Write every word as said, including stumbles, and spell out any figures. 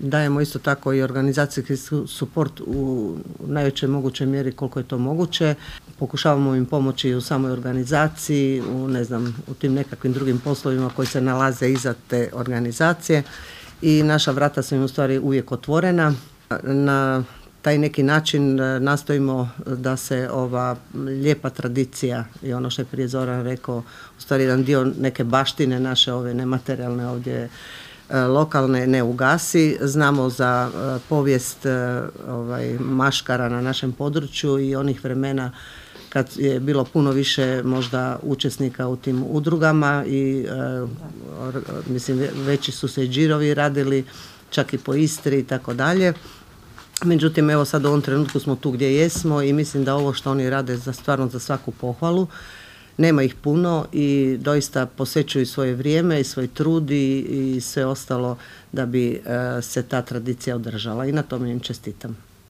Dajemo isto tako i organizacijski suport u najvećoj mogućoj mjeri koliko je to moguće. Pokušavamo im pomoći u samoj organizaciji, u, ne znam, u tim nekakvim drugim poslovima koji se nalaze iza te organizacije i naša vrata su im u stvari uvijek otvorena. Na taj neki način nastojimo da se ova lijepa tradicija i ono što je prije Zoran rekao, u stvari jedan dio neke baštine naše ove nematerijalne ovdje lokalne ne ugasi. Znamo za povijest ovaj, maškara na našem području i onih vremena kad je bilo puno više možda učesnika u tim udrugama i mislim veći su se i džirovi radili, čak i po Istri i tako dalje. Međutim, evo sad u ovom trenutku smo tu gdje jesmo i mislim da ovo što oni rade za stvarno za svaku pohvalu. Nema ih puno i doista posvećuju svoje vrijeme i svoj trud i, i sve ostalo da bi uh, se ta tradicija održala i na tome im čestitam.